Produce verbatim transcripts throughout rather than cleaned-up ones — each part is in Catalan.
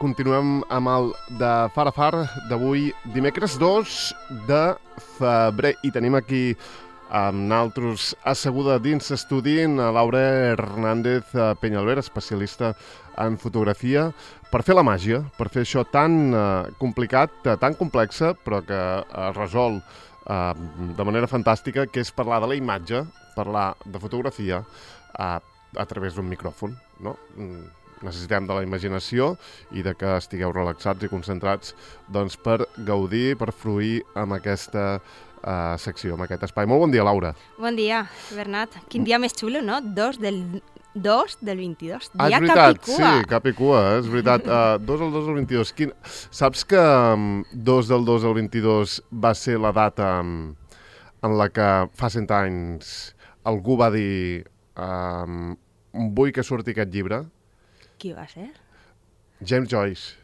continuem amb el de Far a Far d'avui, dimecres dos de febrer. I tenim aquí amb naltros asseguda dins estudi a Laura Hernández Peñalver, especialista en fotografia, per fer la màgia, per fer això tan uh, complicat, tan complexa, però que es uh, resol uh, de manera fantàstica, que és parlar de la imatge, parlar de fotografia uh, a través d'un micròfon, no? Mm. Necessitem de la imaginació i de que estigueu relaxats i concentrats doncs, per gaudir, per fruir amb aquesta uh, secció, amb aquest espai. Molt bon dia, Laura. Bon dia, Bernat. Quin dia més xulo, no? dos del dos del vint-i-dos. Ah, és veritat, sí, cap i cua, és veritat. Uh, dos del dos del vint-i-dos. Quin... Saps que um, dos del dos del vint-i-dos va ser la data um, en la que fa cent anys algú va dir um, vull que surti aquest llibre? Qui va ser? James Joyce,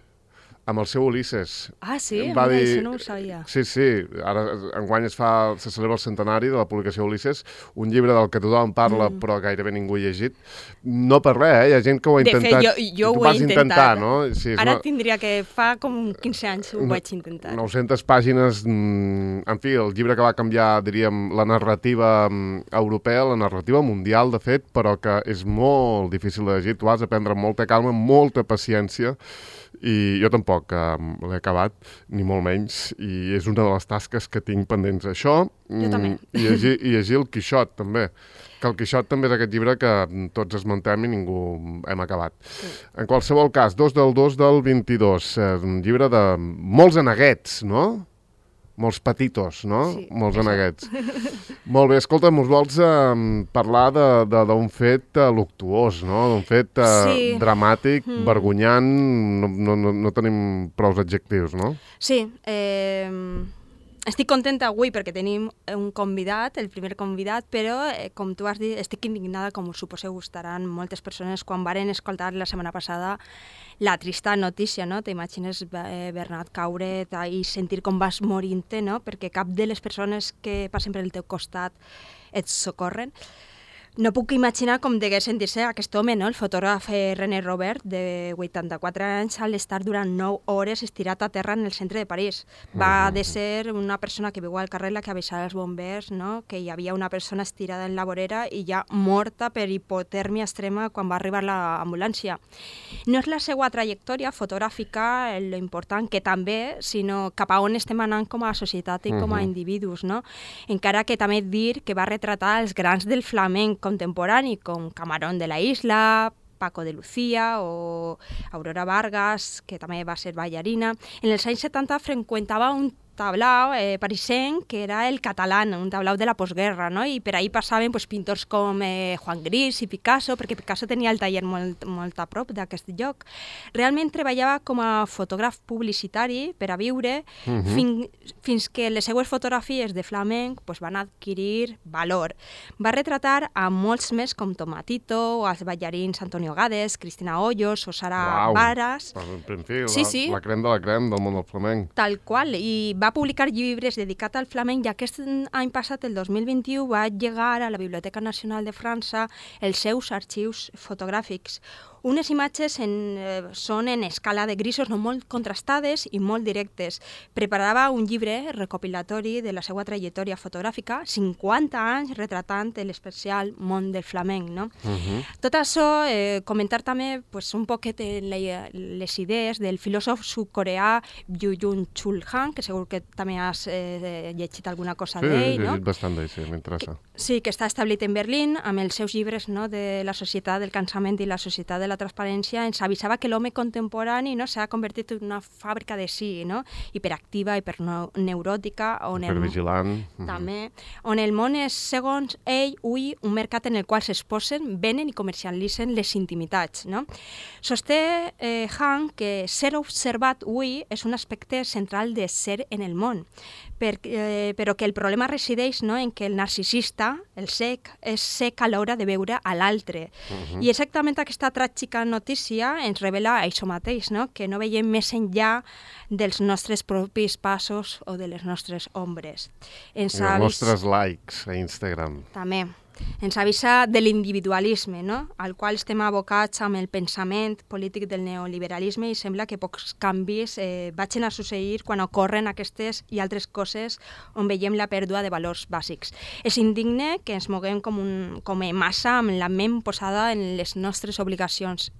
amb el seu Ulisses. Ah, sí? Va Mira, dir... això no ho sabia. Sí, sí. Ara, enguany es fa, se celebra el centenari de la publicació Ulisses, un llibre del que tothom parla, mm. però gairebé ningú ha llegit. No per res, eh? Hi ha gent que ho ha de intentat. De fet, jo, jo tu ho he vas intentat. intentar, no? Sí, Ara una... tindria que fa com quinze anys ho vaig intentar. nou-centes pàgines, en fi, el llibre que va canviar, diríem, la narrativa europea, la narrativa mundial, de fet, però que és molt difícil de llegir. Tu has d'aprendre amb molta calma, molta paciència, i jo tampoc eh, l'he acabat, ni molt menys, i és una de les tasques que tinc pendents. Això, jo també. I llegir, i llegir el Quixot, també. Que el Quixot també és aquest llibre que tots esmentem i ningú hem acabat. Sí. En qualsevol cas, dos del dos del vint-i-dos, és un llibre de molts aneguets, no? Molts petitos, no? Sí, molts aneguets. Molt bé, escolta'm, us vols eh, parlar d'un fet eh, luctuós, no? D'un fet eh, sí. dramàtic, mm. vergonyant, no, no, no tenim prous adjectius, no? Sí, eh, estic contenta avui perquè tenim un convidat, el primer convidat, però, eh, com tu has dit, estic indignada, com us suposeu estaran moltes persones, quan varen escoltar la setmana passada la trista notícia, no? T'imagines, eh, Bernat, caure i sentir com vas morint-te, no? Perquè cap de les persones que passen per el teu costat et socorren. No puc imaginar com degué sentir-se aquest home, no? El fotògraf René Robert, de vuitanta-quatre anys, al estar durant nou hores estirat a terra en el centre de París. Va de ser una persona que viu al carrer la que avisava als bombers, no? Que hi havia una persona estirada en la vorera i ja morta per hipotèrmia extrema quan va arribar l'ambulància. No és la seva trajectòria fotogràfica lo important, que també, sinó cap a on estem anant com a societat i com a individus, no? Encara que també dir que va retratar els grans del flamenc contemporani, com Camarón de la Isla, Paco de Lucía o Aurora Vargas, que també va ser ballarina. En els anys setanta freqüentava un tablau eh, parisenc que era el Catalán, un tablau de la postguerra, no? I per ahí passaven pues, pintors com eh, Juan Gris i Picasso, perquè Picasso tenia el taller molt, molt a prop d'aquest lloc. Realment treballava com a fotògraf publicitari per a viure, uh-huh. fin, fins que les seues fotografies de flamenc pues, van adquirir valor. Va retratar a molts més com Tomatito, o els ballarins Antonio Gades, Cristina Hoyos o Sara Uau. Varas. En fi, sí, la, sí. la crem de la crem del món del flamenc. Tal qual, i va publicar llibres dedicats al flamenc i aquest any passat, el dos mil vint-i-u, va llegar a la Biblioteca Nacional de França els seus arxius fotogràfics. Unes imatges en, eh, són en escala de grisos no molt contrastades i molt directes. Preparava un llibre recopilatori de la seva trajectòria fotogràfica, cinquanta anys retratant l'especial món del flamenc. No? Uh-huh. Tot això, eh, comentar també pues, un poquet les idees del filòsof sud-coreà Byung Chul Han, que segur que també has eh, llegit alguna cosa sí, d'ell. Sí, he llegit no? bastant d'ell, sí, m'interessa. Sí, que està establit en Berlín amb els seus llibres, no, de la societat del cansament i la societat de la transparència. Ens avisava que l'home contemporani, no, s'ha convertit en una fàbrica de sí, no? Hiperactiva, hiperneuròtica, on hipervigilant. El, també, on el món és, segons ell, ui, un mercat en el qual s'exposen, venen i comercialitzen les intimitats. No? Sosté eh, Han que ser observat ui és un aspecte central de ser en el món, per, eh, però que el problema resideix, no, en que el narcisista, el cec, és cec a l'hora de veure a l'altre. Uh-huh. I exactament aquesta tràgica notícia ens revela això mateix, no? Que no veiem més enllà dels nostres propis passos o de les nostres ombres. Ens I els nostres likes a Instagram. També. ens avisa de l'individualisme, no? Al qual estem abocats amb el pensament polític del neoliberalisme i sembla que pocs canvis eh, vagin a succeir quan ocorren aquestes i altres coses on veiem la pèrdua de valors bàsics. És indigne que ens moguem com, un, com a massa amb la ment posada en les nostres obligacions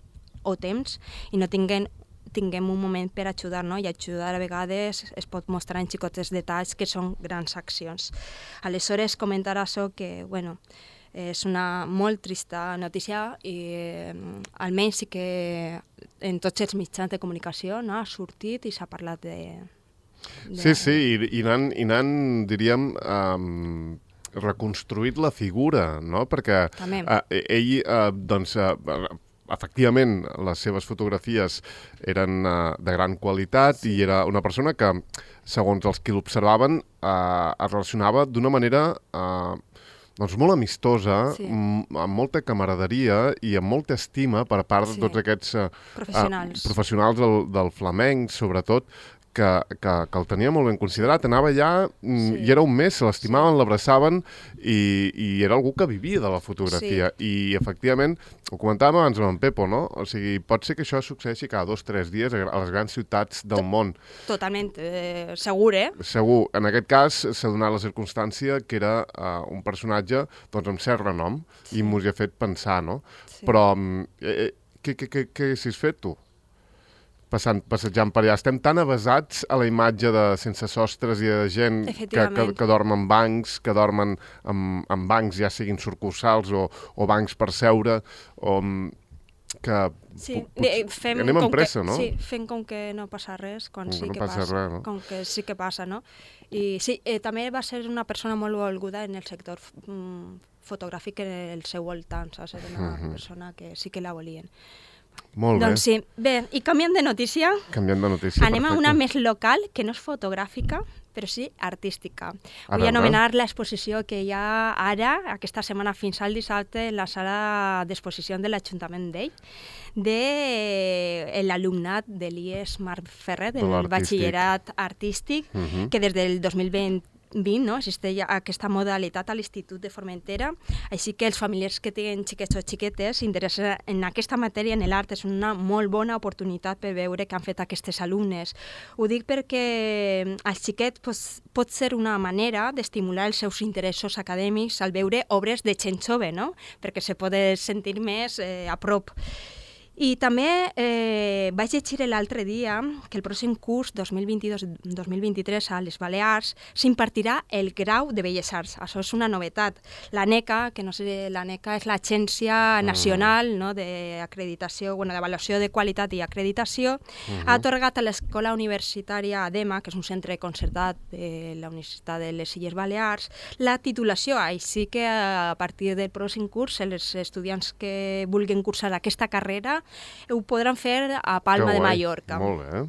o temps i no tinguem tinguem un moment per ajudar, no? I ajudar a vegades es pot mostrar en xicotes detalls que són grans accions. Aleshores, comentar això que, bueno, és una molt trista notícia i eh, almenys sí que en tots els mitjans de comunicació, no? Ha sortit i s'ha parlat de... de... Sí, sí, i, i anant, i anant diríem, um, reconstruït la figura, no? Perquè uh, ell, uh, doncs... Uh, efectivament, les seves fotografies eren uh, de gran qualitat i era una persona que, segons els que l'observaven, uh, es relacionava d'una manera uh, doncs molt amistosa, sí. amb molta camaraderia i amb molta estima per part sí. de tots aquests uh, professionals, uh, professionals del, del flamenc, sobretot, que, que, que el tenia molt ben considerat. Anava allà sí. i era un mes, se l'estimaven, sí. l'abraçaven i, i era algú que vivia de la fotografia. Sí. I, efectivament, ho comentàvem abans amb en Pepo, no? O sigui, pot ser que això succeeixi cada dos o tres dies a les grans ciutats del Tot, món. Totalment, eh, segur, eh? Segur. En aquest cas s'ha donat la circumstància que era uh, un personatge doncs, amb cert renom sí. i m'ho ha fet pensar, no? Sí. Però eh, què, què, què, què haguessis fet tu? Passant, passejant per allà. Estem tan avasats a la imatge de sense sostres i de gent que, que, que dorm en bancs, que dormen en, en bancs, ja siguin sucursals o, o bancs per seure, o que... Sí, fem anem amb com pressa, que, no? Sí, fem com que no passa res, quan com sí que que no passa. passa. Res, no? Com que sí que passa, no? I sí, eh, també va ser una persona molt volguda en el sector mm, fotogràfic en el seu voltant, saps? Era una uh-huh. persona que sí que la volien. Molt bé. Doncs sí. Bé, i canviant de notícia, canviant de notícia anem perfecte. a una més local, que no és fotogràfica, però sí artística. A Vull veure. anomenar l'exposició que hi ha ara, aquesta setmana fins al dissabte, en la sala d'exposició de l'Ajuntament d'Ell, de l'alumnat de l'I E S Marc Ferrer, del batxillerat artístic, uh-huh. que des del dos mil vint no? Existeix aquesta modalitat a l'Institut de Formentera, així que els familiars que tenen xiquets o xiquetes s'interessen en aquesta matèria, en l'art, és una molt bona oportunitat per veure què han fet aquestes alumnes. Ho dic perquè als xiquets pues, pot ser una manera d'estimular els seus interessos acadèmics al veure obres de gent jove, no? Perquè se pot sentir més eh, a prop. I també eh, vaig llegir l'altre dia que el pròxim curs dos mil vint-i-dos dos mil vint-i-tres a les Balears s'impartirà el grau de Belles Arts. Això és una novetat. L'ANECA, que no sé, l'ANECA és l'Agència Nacional no, d'acreditació, bueno, d'avaluació de qualitat i acreditació, uh-huh. ha atorgat a l'Escola Universitària ADEMA, que és un centre concertat de la Universitat de les Illes Balears, la titulació. Així que a partir del pròxim curs, els estudiants que vulguin cursar aquesta carrera ho podran fer a Palma de Mallorca. Molt bé.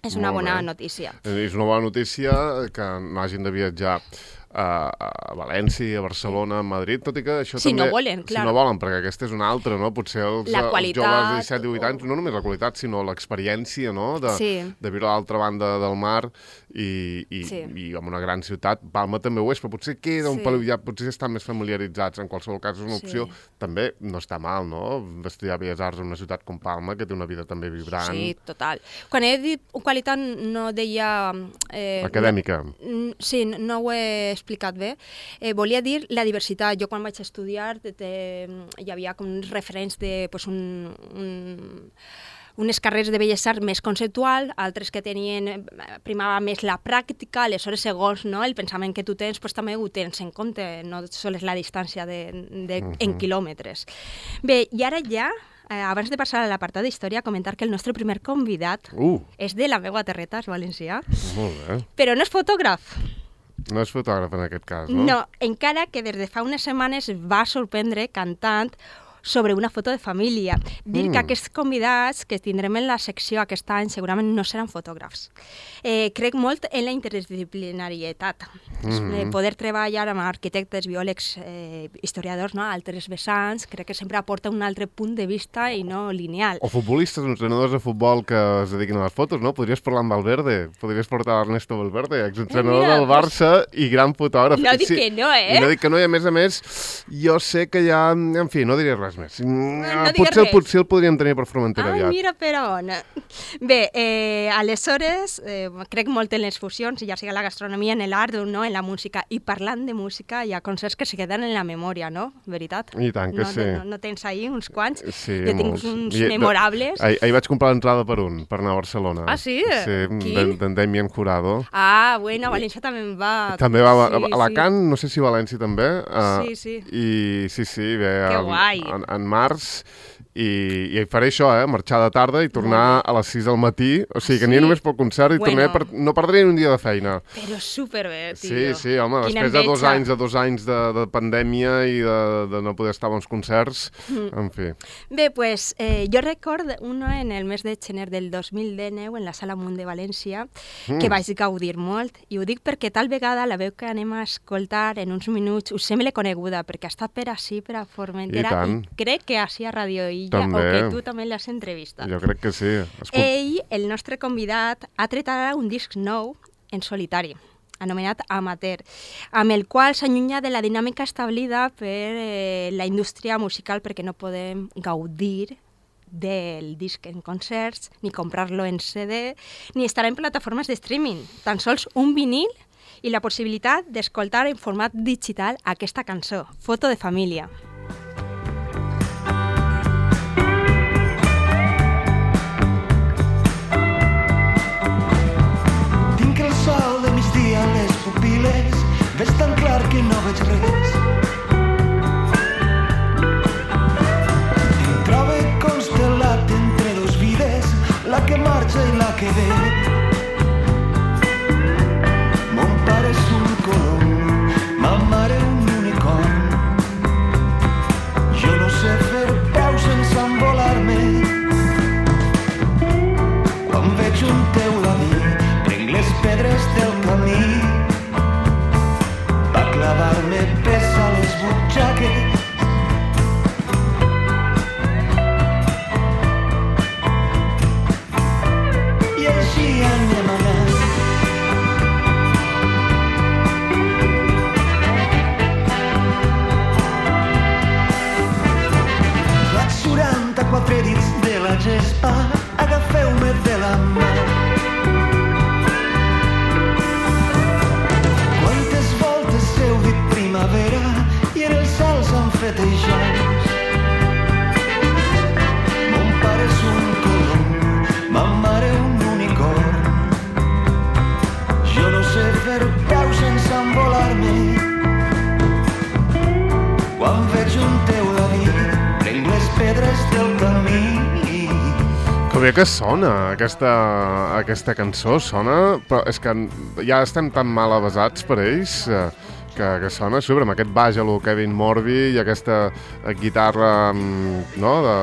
És una bona notícia. És una bona notícia que no hagin de viatjar a, a València, a Barcelona, a Madrid, tot i que això si també... no volen, clar. Si no volen, perquè aquesta és una altra, no? Potser els, els joves de disset divuit anys, no només la qualitat, sinó l'experiència, no? De, sí. de viure a l'altra banda del mar i, i, sí. i en una gran ciutat. Palma també ho és, però potser queda un sí. pel ja, potser estan més familiaritzats. En qualsevol cas és una opció. Sí. També no està mal, no? D'estudiar Belles Arts en una ciutat com Palma, que té una vida també vibrant. Sí, total. Quan he dit qualitat no deia... Eh, Acadèmica. No, sí, no ho he explicat bé. Eh, volia dir la diversitat. Jo quan vaig estudiar te, te, hi havia com uns referents de pues, un, un, unes carreres de Belles Arts més conceptual, altres que tenien, primava més la pràctica, aleshores segons no, el pensament que tu tens pues, també ho tens en compte, no sols la distància de, de, uh-huh. en quilòmetres. Bé, i ara ja Eh, abans de passar a l'apartat d'història, comentar que el nostre primer convidat uh. és de la meva terreta, és valencià. Molt bé. Però no és fotògraf. No és fotògraf en aquest cas, no? No, encara que des de fa unes setmanes va sorprendre cantant sobre una foto de família. Dir Mm. que aquests convidats que tindrem en la secció aquest any segurament no seran fotògrafs. Eh, crec molt en la interdisciplinarietat. Mm-hmm. Eh, poder treballar amb arquitectes, biòlegs, eh, historiadors, no? altres vessants, crec que sempre aporta un altre punt de vista i no lineal. O futbolistes, entrenadors de futbol que es dediquin a les fotos, no? Podries parlar amb Valverde, podries portar Ernesto Valverde, exentrenador Eh, mira, del Barça i gran fotògraf. No dic que no, eh? I no dic que no, i a més a més, jo sé que hi ha... En fi, no diré res més. no digues potser, res. potser el podríem tenir per Formentera Ai, aviat. mira per on. Bé, eh, aleshores, eh, crec molt en les fusions, ja sigui la gastronomia, en l'art o no, en la música. I parlant de música, hi ha concerts que se queden en la memòria, no? Veritat? I tant que no, sí. No, no tens ahir uns quants? Sí, jo tinc molts. uns I- memorables. Ahir, ahir vaig comprar l'entrada per un, per anar a Barcelona. Ah, sí? Sí, Qui? d'en d'en Damien Jurado. Ah, bueno, a València també en va. També va a, Sí, a Alacant, no sé si València també. Uh, Sí, sí. I sí, sí, bé, Que en, guai. en, en març. I, i faré això, eh? Marxar de tarda i tornar a les sis del matí. O sigui, que Sí? aniré només pel concert i Bueno. tornaré per, no perdré ni un dia de feina. Però superbé, tio. Sí, sí, home, Quina després de dos enveja. anys, de dos anys de, de pandèmia i de, de no poder estar a uns concerts, Mm. en fi. Bé, pues, eh, jo record una en el mes de gener del dos mil dinou en la Sala Munt de València Mm. que vaig gaudir molt, i ho dic perquè tal vegada la veu que anem a escoltar en uns minuts us sembla coneguda, perquè està per així, per a Formentera, I tant. crec que així a Radio Illa, També. o que tu també l'has entrevistat. Jo crec que sí. Escol... Ell, el nostre convidat, ha tret ara un disc nou en solitari, anomenat Amateur, amb el qual s'allunya de la dinàmica establida per eh, la indústria musical, perquè no podem gaudir del disc en concerts, ni comprar-lo en C D, ni estar en plataformes de streaming. Tan sols un vinil i la possibilitat d'escoltar en format digital aquesta cançó, Foto de família. Tinc el sol de migdia a les pupil·les, ves tan clar que no veig res. Em trobe constel·lat entre dos vides, la que marxa i la que ve. Mon pare és un colom, ma mare un unicorn. Jo no sé fer peu sense envolar-me. Quan veig un teuladí, prenc les pedres del camí. Va clavar-me pes a les butxaques. I així anem anant. Faig quaranta-quatre dits de la gespa, agafeu-me de la mà. Quantes voltes heu dit primavera i en el cel s'han fet eixams. Mon pare és un colom, ma mare un unicorn. Jo no sé fer peu sense envolar-me. Quan veig un teuladí, prenc les pedres del camí. Que bé que sona aquesta, aquesta cançó, sona, però és que ja estem tan mal avasats per ells eh, que, que sona super, amb aquest baix a lo Kevin Morby i aquesta eh, guitarra mm, no, de,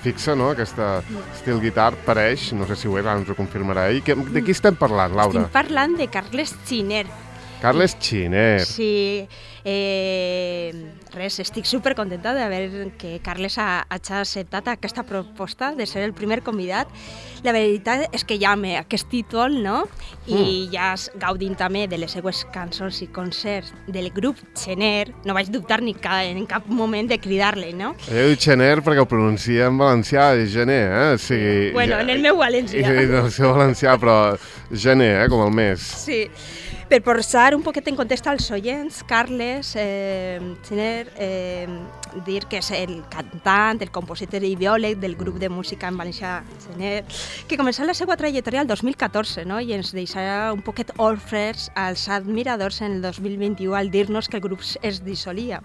fixa, no? Aquesta estil guitar pareix, no sé si ho és, ara ens ho confirmarà ell. Que, de qui estem parlant, Laura? Estic parlant de Carles Giner. Carles Giner. Sí, eh, res, estic supercontenta de veure que Carles ha, ha acceptat aquesta proposta de ser el primer convidat. La veritat és que ja amb aquest títol, no? I Mm. ja gaudint també de les seues cançons i concerts del grup Giner, no vaig dubtar ni ca, en cap moment de cridar-li, no? Ell diu Gener perquè ho pronuncia en valencià, és gener, eh? O sigui, Bueno, en el meu valencià. I, en el seu valencià, però gener, eh? Com el mes. Sí. Per posar un poquet en context als oients, Carles eh, Giner, eh, dir que és el cantant, el compositor i biòleg del grup de música en valencià Giner, que començà la seva trajectòria el dos mil catorze, no? I ens deixarà un poquet orfes als admiradors en el dos mil vint-i-u al dir-nos que el grup es dissolia.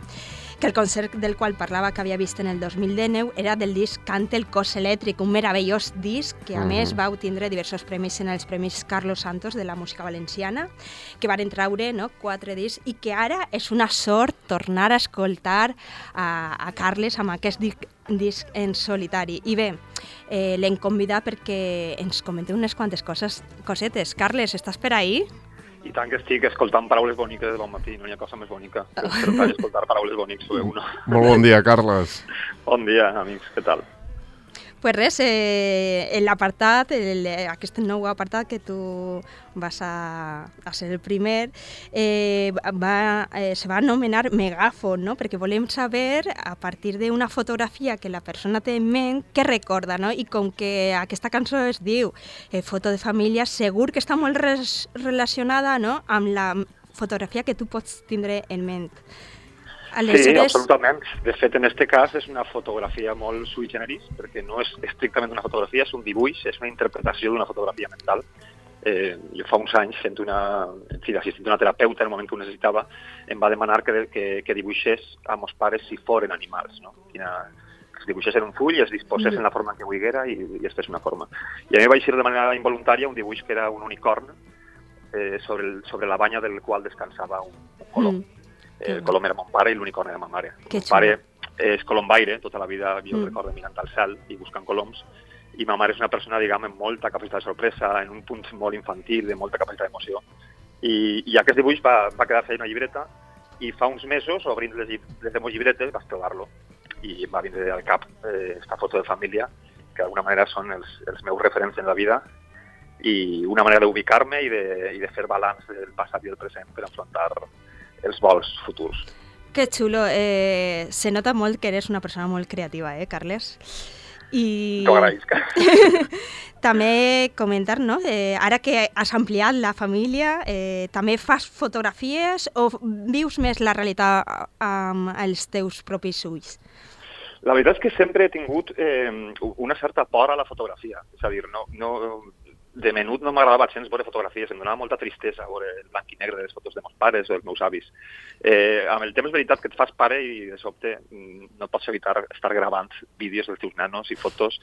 que el concert del qual parlava que havia vist en el dos mil dinou era del disc Cante el cos elèctric, un meravellós disc que a uh -huh. més va obtindre diversos premis en els Premis Carlos Santos de la música valenciana, que van traure no, quatre discs i que ara és una sort tornar a escoltar a, a Carles amb aquest disc, disc en solitari. I bé, eh, l'hem convidat perquè ens comente unes quantes coses, cosetes. Carles, estàs per ahí? I tant que estic escoltant paraules boniques de bon matí, no hi ha cosa més bonica que escoltar paraules boniques sobre uno. Molt bon dia, Carles. Bon dia, amics, què tal? Pues res, eh, l'apartat, aquest nou apartat que tu vas a, a ser el primer, eh, va, eh, se va anomenar Megàfon, no? Perquè volem saber, a partir d'una fotografia que la persona té en ment, què recorda, no? I com que aquesta cançó es diu eh, Foto de família, segur que està molt res, relacionada, no?, amb la fotografia que tu pots tindre en ment. Aleshores... Sí, absolutament. De fet, en aquest cas és una fotografia molt sui generis, perquè no és estrictament una fotografia, és un dibuix, és una interpretació d'una fotografia mental. Eh, jo fa uns anys, fent una, en fi, assistint una terapeuta en el moment que ho necessitava, em va demanar que, que, que dibuixés a meus pares si foren animals, no? Quina, que es dibuixés en un full i es disposés mm. en la forma que volguera i, i es fes una forma. I a mi vaig ser de manera involuntària un dibuix que era un unicorn eh, sobre, el, sobre la banya del qual descansava un, un colom. Mm. El colom era mon pare i l'unicorn era ma mare. Mon pare és colombaire, tota la vida jo mm. recordo mirant al cel i buscant coloms, i ma mare és una persona, diguem, amb molta capacitat de sorpresa, en un punt molt infantil, de molta capacitat d'emoció. I, i aquest dibuix va, va quedar-se en una llibreta, i fa uns mesos, obrint les, les meves llibretes, vaig trobar-lo. I em va vindre al cap eh, esta foto de família, que d'alguna manera són els, els meus referents en la vida, i una manera d'ubicar-me i, de, i de fer balanç del passat i del present per enfrontar els vols futurs. Que xulo. Eh, se nota molt que eres una persona molt creativa, eh, Carles? I... T'ho agraïsc. També comentar, no? Eh, ara que has ampliat la família, eh, també fas fotografies o vius més la realitat amb els teus propis ulls? La veritat és que sempre he tingut eh, una certa por a la fotografia. És a dir, no... no de menut no m'agradava gens veure fotografies, em donava molta tristesa veure el blanc i negre de les fotos de meus pares o dels meus avis. Eh, amb el temps és veritat que et fas pare i de sobte no pots evitar estar gravant vídeos dels teus nanos i fotos,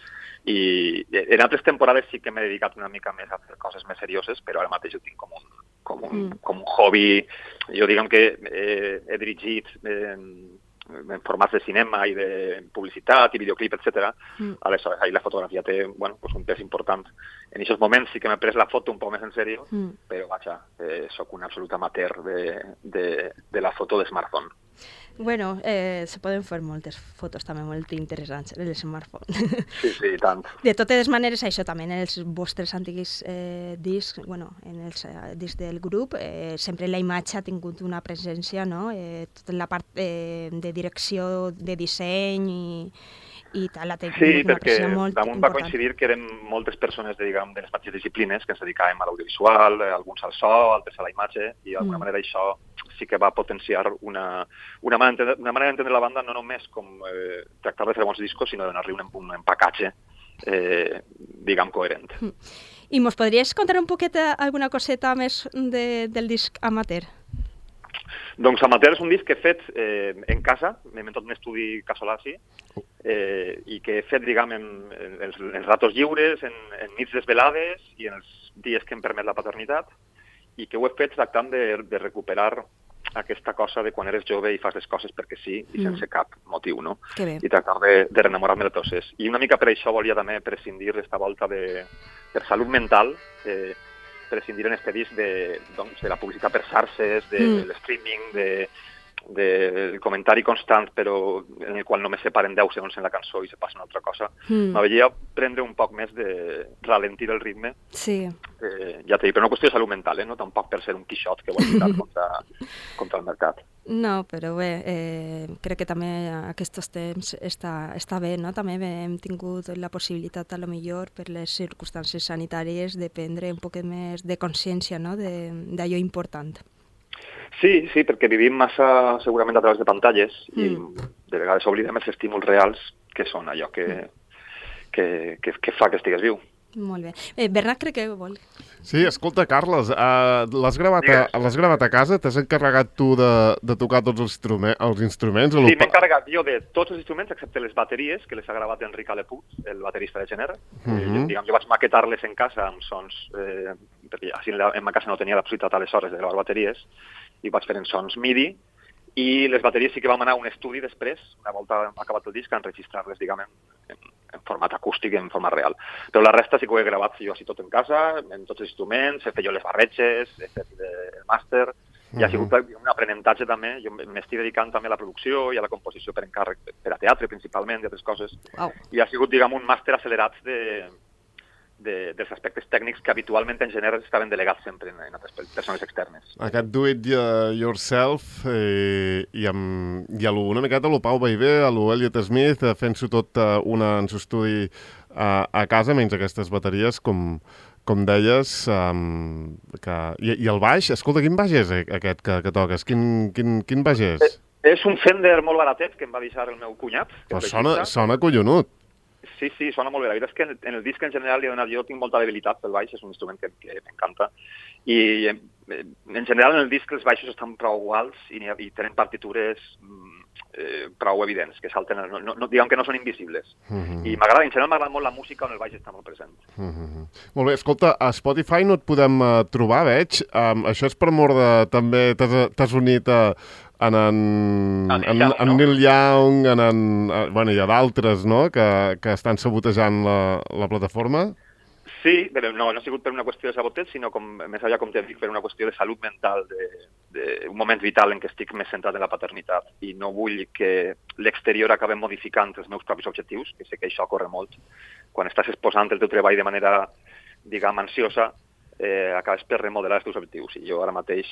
i en altres temporades sí que m'he dedicat una mica més a fer coses més serioses, però ara mateix ho tinc com un, com un, mm. com un hobby. Jo diguem que eh, he dirigit eh, en formats de cinema i de publicitat i videoclip, etcètera. Mm. Aleshores, ahí la fotografia té, bueno, pues un pes important. En aquests moments sí que m'he pres la foto un poc més en sèrio, mm. però vaja, eh, soc un absolut amateur de, de, de la foto de smartphone. Bueno, eh, se poden fer moltes fotos també molt interessants en el smartphone. Sí, sí, tant. De totes maneres, això també en els vostres antics eh, discs, bueno, en els eh, discs del grup, eh, sempre la imatge ha tingut una presència, no? Eh, tota la part eh, de direcció, de disseny i, i tal, la tingut sí, una presència molt damunt important. Va coincidir que érem moltes persones de, diguem, de les mateixes disciplines que ens dedicàvem a l'audiovisual, alguns al so, altres a la imatge, i d'alguna mm. manera això sí que va potenciar una, una, manera, una manera d'entendre la banda no només com eh, tractar de fer bons discos, sinó de donar-li un, un empacatge, eh, diguem, coherent. Mm. I mos podries contar un poquet alguna coseta més de, del disc Amateur? Doncs Amateur és un disc que he fet eh, en casa, m'he inventat un estudi casolà, sí, eh, i que he fet, diguem, en, en, en, en ratos lliures, en, en nits desvelades i en els dies que em permet la paternitat, i que ho he fet tractant de, de recuperar aquesta cosa de quan eres jove i fas les coses perquè sí i sense mm. cap motiu, no? I tractar de, de renamorar-me de tots. I una mica per això volia també prescindir d'esta volta de, per salut mental, eh, prescindir en este disc de, doncs, de la publicitat per xarxes, de, mm. de l'streaming, de, del comentari constant, però en el qual només se paren deu segons en la cançó i se passa una altra cosa. Mm. M'havia prendre un poc més de ralentir el ritme. Sí. Eh, ja t'he dit, però no qüestió de salut mental, eh? No tampoc per ser un quixot que vol lluitar contra, contra el mercat. No, però bé, eh, crec que també aquests temps està, està bé, no? També hem tingut la possibilitat, a lo millor, per les circumstàncies sanitàries, de prendre un poc més de consciència, no? D'allò important. Sí, sí, perquè vivim massa segurament a través de pantalles mm. i de vegades oblidem els estímuls reals que són allò que, que, que, que fa que estigues viu. Molt bé. Eh, Bernat crec que vol. Sí, escolta, Carles, uh, l'has gravat, a, l'has gravat a casa? T'has encarregat tu de, de tocar tots els, instrument, els instruments? Sí, m'he encarregat jo de tots els instruments, excepte les bateries, que les ha gravat Enric Aleput, el baterista de Gener. Uh -huh. eh, diguem, jo vaig maquetar-les en casa amb sons, eh, perquè així en, la, en ma casa no tenia la possibilitat aleshores de gravar bateries, i vaig fer en sons MIDI, i les bateries sí que vam anar a un estudi després, una volta acabat el disc, a enregistrar-les, diguem, en, en format acústic, en format real. Però la resta sí que ho he gravat jo així tot en casa, en tots els instruments, he fet jo les barretges, he fet el màster, i ha sigut un aprenentatge també. Jo m'estic dedicant també a la producció i a la composició per encàrrec, per a teatre principalment, i altres coses. Wow. I ha sigut, diguem, un màster accelerat de... De, dels aspectes tècnics que habitualment en Gener estaven delegats sempre en, en altres persones externes. Aquest do it yourself eh, i, amb, i a lo, una miqueta a lo Pau Baivé, a lo Elliot Smith, fent-s'ho tot uh, una en s'estudi uh, a casa, menys aquestes bateries, com, com deies, um, que, i, i el baix, escolta, quin baix és aquest que, que toques? Quin, quin, quin baix és? Eh, és un Fender molt baratet que em va deixar el meu cunyat. Però sona, sona collonut. Sí, sí, sona molt bé. La veritat és que en el disc en general li he donat, jo tinc molta debilitat pel baix, és un instrument que, que m'encanta. I en, en general en el disc els baixos estan prou alts i, i tenen partitures eh, prou evidents, que salten, no, no, diguem que no són invisibles. Uh -huh. I m'agrada, en general m'agrada molt la música on el baix està molt present. Uh -huh. Molt bé, escolta, a Spotify no et podem uh, trobar, veig. Um, això és per mort de... també t'has unit a... en, en, en, en, en Neil Young, en, en, bueno, hi ha d'altres, no?, que, que estan sabotejant la, la plataforma. Sí, però no, no ha sigut per una qüestió de saboteig, sinó, com, més allà, com t'he dit, per una qüestió de salut mental, d'un moment vital en què estic més centrat en la paternitat i no vull que l'exterior acabi modificant els meus propis objectius, que sé que això corre molt. Quan estàs exposant el teu treball de manera, diguem, ansiosa, eh, acabes per remodelar els teus objectius. I jo ara mateix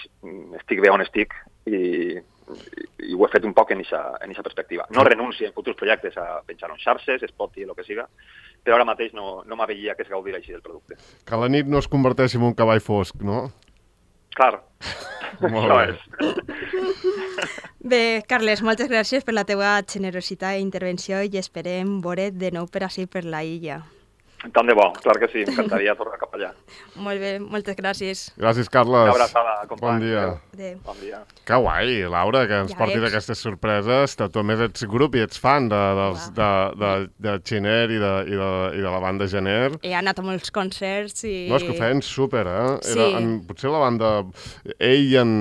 estic bé on estic i, i ho he fet un poc en aquesta perspectiva. No renuncio en futurs projectes a penjar en xarxes, Spotify, el que siga, però ara mateix no, no m'aveia que es gaudir així del producte. Que la nit no es converteixi en un cavall fosc, no? Clar. Molt bé. Bé, Carles, moltes gràcies per la teva generositat i intervenció i esperem veure't de nou per així per la illa. Tant de bo, clar que sí, m'encantaria tornar cap allà. Molt bé, moltes gràcies. Gràcies, Carles. Una abraçada, company. Bon dia. Adéu. Bon dia. Que guai, Laura, que ens ja portis ets. aquestes sorpreses. Tu a més ets grup i ets fan de, dels, de, de, de Gener i de, i, de, i de la banda Gener. He anat a molts concerts i... No, és que ho feien súper, eh? Sí. Era en, potser la banda... Ell i en...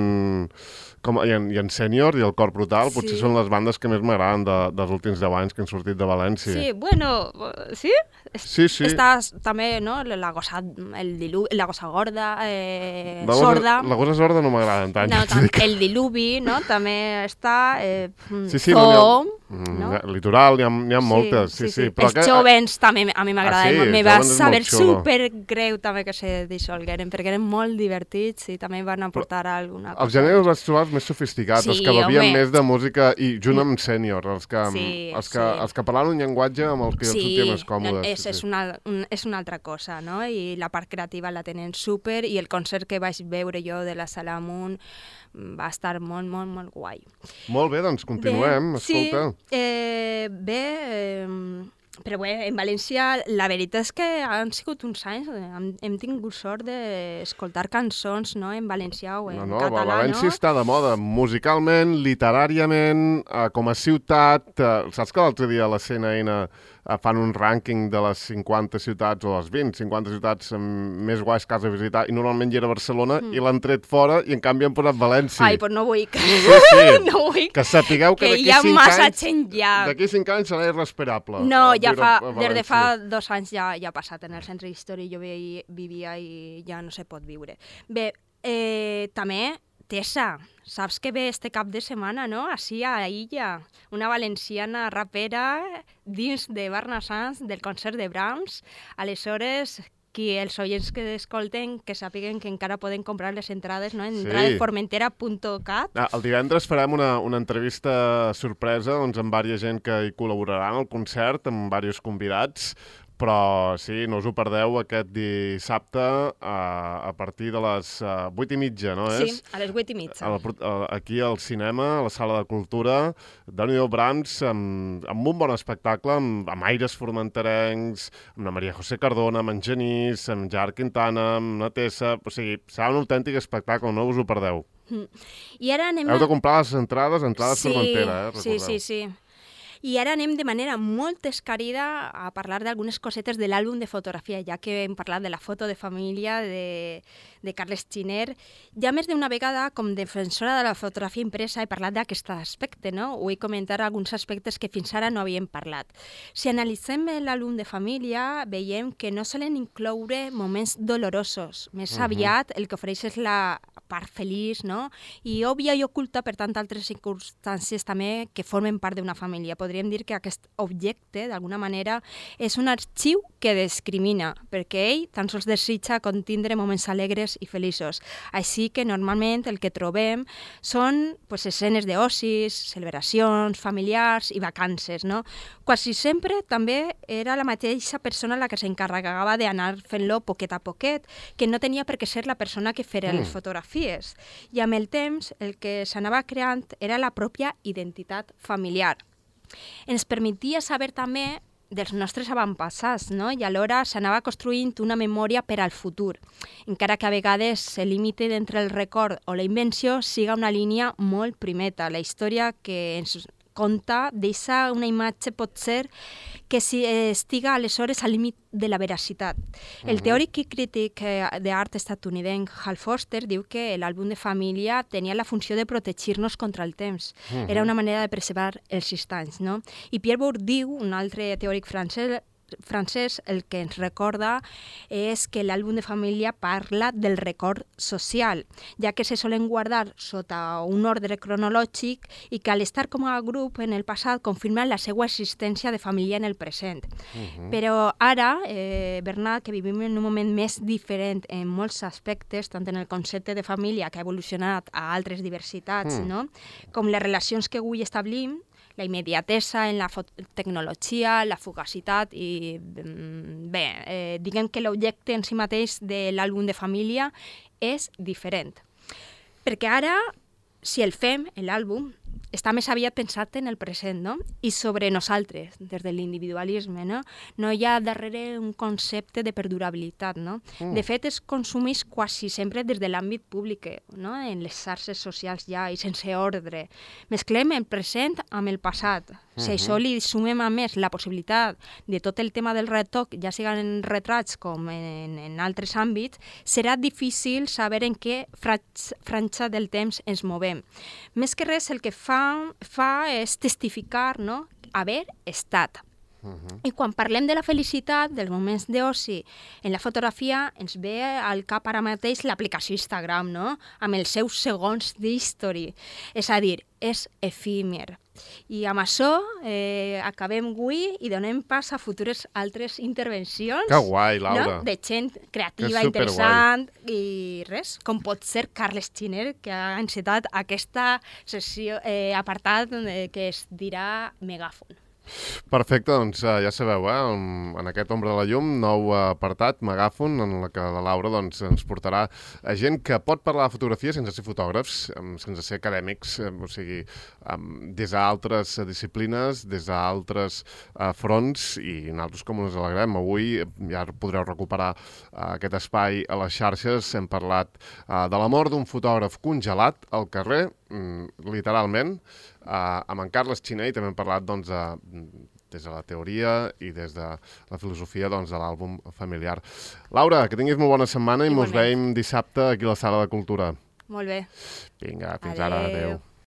Com, i, en, i en Sènior i el Cor Brutal, potser sí. són les bandes que més m'agraden de, dels últims deu anys que han sortit de València. Sí, bueno, sí? Sí, sí. Està també, no?, la gossa, el diluvi, la gossa gorda, eh, la gossa, sorda. La gossa sorda no m'agraden tant. No, tant el diluvi, no?, també està... Eh, sí, sí, Zoom, no, ha, no? Litoral, n'hi ha, ha sí, moltes, sí, sí. sí. sí. Però els que... jovens també a mi m'agraden, ah, sí, me va saber supergreu també que se dissolgueren, perquè eren molt divertits i també van aportar però, alguna cosa. Els Gener els vaig trobar més sofisticats, sí, els que bevien més de música, i junt amb Sènior, els que, sí, els que, sí. els que parlaven un llenguatge amb el que sí, els sentia més còmodes. No, és, sí, és, una, un, és una altra cosa, no? I la part creativa la tenen súper, i el concert que vaig veure jo de la Sala Amunt va estar molt, molt, molt guai. Molt bé, doncs continuem, bé, escolta. Sí, eh, bé... Eh, però bé, en València la veritat és que han sigut uns anys, hem, hem tingut sort d'escoltar cançons, no?, en valencià o en no, no, català, València no? està de moda musicalment, literàriament, eh, com a ciutat. Eh, saps que l'altre dia a la C N N eh, fan un rànquing de les cinquanta ciutats, o les vint, cinquanta ciutats més guais que has de visitar, i normalment hi era Barcelona, mm. i l'han tret fora, i en canvi han posat València. Ai, però no vull que... Sí, sí. no vull que sapigueu que, que d'aquí cinc anys... hi ha massa gent ja. D'aquí cinc anys serà irrespirable. No, ja fa, des de fa dos anys ja, ja ha passat en el centre històric, jo vivia i ja no se pot viure. Bé, eh, també, Tessa, saps que ve este cap de setmana, no?, així a Illa, una valenciana rapera dins de Barnassans del concert de Brahms. Aleshores, qui els oients que escolten que sàpiguen que encara poden comprar les entrades, no?, en sí. entrades formentera punt cat. Ah, el divendres farem una, una entrevista sorpresa doncs, amb diversa gent que hi col·laborarà en el concert, amb diversos convidats, Però sí, no us ho perdeu aquest dissabte a, a partir de les uh, vuit i mitja, no és? Sí, a les vuit i mitja. A la, a, aquí al cinema, a la Sala de Cultura, Déu-n'hi-do Brahms, amb, amb un bon espectacle, amb, amb aires formenterencs, amb la Maria José Cardona, amb en Genís, amb Gerard Quintana, amb la Tessa... O sigui, serà un autèntic espectacle, no us ho perdeu. Mm. I ara anem... Heu de comprar les entrades, entrades sí, Formentera, eh? Sí, Recordeu. sí, sí. I ara anem de manera molt escarida a parlar d'algunes cosetes de l'àlbum de fotografia, ja que hem parlat de la foto de família de, de Carles Giner. Ja més d'una vegada, com defensora de la fotografia impresa, he parlat d'aquest aspecte, no? Vull comentar alguns aspectes que fins ara no havíem parlat. Si analitzem l'àlbum de família, veiem que no solen incloure moments dolorosos. Més uh-huh. aviat, el que ofereix és la part feliç, no? I òbvia i oculta, per tant, altres circumstàncies també que formen part d'una família. Podríem dir que aquest objecte, d'alguna manera, és un arxiu que discrimina, perquè ell tan sols desitja contindre moments alegres i feliços. Així que normalment el que trobem són pues, escenes d'ocis, celebracions familiars i vacances, no? Quasi sempre també era la mateixa persona la que s'encarregava d'anar fent-lo poquet a poquet, que no tenia per què ser la persona que feia mm. les fotografies. I amb el temps el que s'anava creant era la pròpia identitat familiar. Ens permetia saber també dels nostres avantpassats, no? I alhora s'anava construint una memòria per al futur, encara que a vegades el límit entre el record o la invenció siga una línia molt primeta. La història que ens conta deixa una imatge, pot ser, que si estiga aleshores al límit de la veracitat. El teòric i crític d'art estatunidenc Hal Foster diu que l'àlbum de família tenia la funció de protegir-nos contra el temps. Uh-huh. Era una manera de preservar els instants, no? I Pierre Bourdieu, un altre teòric francès, francès, el que ens recorda és que l'àlbum de família parla del record social, ja que se solen guardar sota un ordre cronològic i que al estar com a grup en el passat confirmen la seva existència de família en el present. Uh-huh. Però ara, eh, Bernat, que vivim en un moment més diferent en molts aspectes, tant en el concepte de família que ha evolucionat a altres diversitats, uh-huh. no? Com les relacions que avui establim, la immediatesa en la tecnologia, la fugacitat i, bé, eh, diguem que l'objecte en si mateix de l'àlbum de família és diferent. Perquè ara, si el fem, l'àlbum, està més aviat pensat en el present, no? I sobre nosaltres, des de l'individualisme, no? No hi ha darrere un concepte de perdurabilitat, no? Mm. De fet, es consumeix quasi sempre des de l'àmbit públic, no? En les xarxes socials ja, i sense ordre. Mesclem el present amb el passat. Uh-huh. Si això li sumem a més la possibilitat de tot el tema del retoc, ja siguin en retrats com en, en altres àmbits, serà difícil saber en què franja del temps ens movem. Més que res, el que fa, fa és testificar, no? Haver estat. Uh-huh. I quan parlem de la felicitat, dels moments d'oci, en la fotografia ens ve al cap ara mateix l'aplicació Instagram, no? Amb els seus segons d'history. És a dir, és efímer. I amb això eh, acabem avui i donem pas a futures altres intervencions. Que guai, Laura. No? De gent creativa, interessant i res, com pot ser Carles Giner, que ha encetat aquesta sessió, eh, apartat eh, que es dirà Megàfon. Perfecte, doncs ja sabeu, eh? En aquest Ombra de la Llum, nou apartat, Megàfon, en la que la Laura doncs, ens portarà a gent que pot parlar de fotografia sense ser fotògrafs, sense ser acadèmics, o sigui, des d'altres disciplines, des d'altres uh, fronts, i nosaltres com ens alegrem. Avui ja podreu recuperar uh, aquest espai a les xarxes. Hem parlat uh, de la mort d'un fotògraf congelat al carrer, mm, literalment, Uh, amb en Carles Giner, i també hem parlat doncs, de, des de la teoria i des de la filosofia doncs, de l'àlbum familiar. Laura, que tinguis molt bona setmana i mos veiem dissabte aquí a la Sala de Cultura. Molt bé. Vinga, fins ara. Adéu.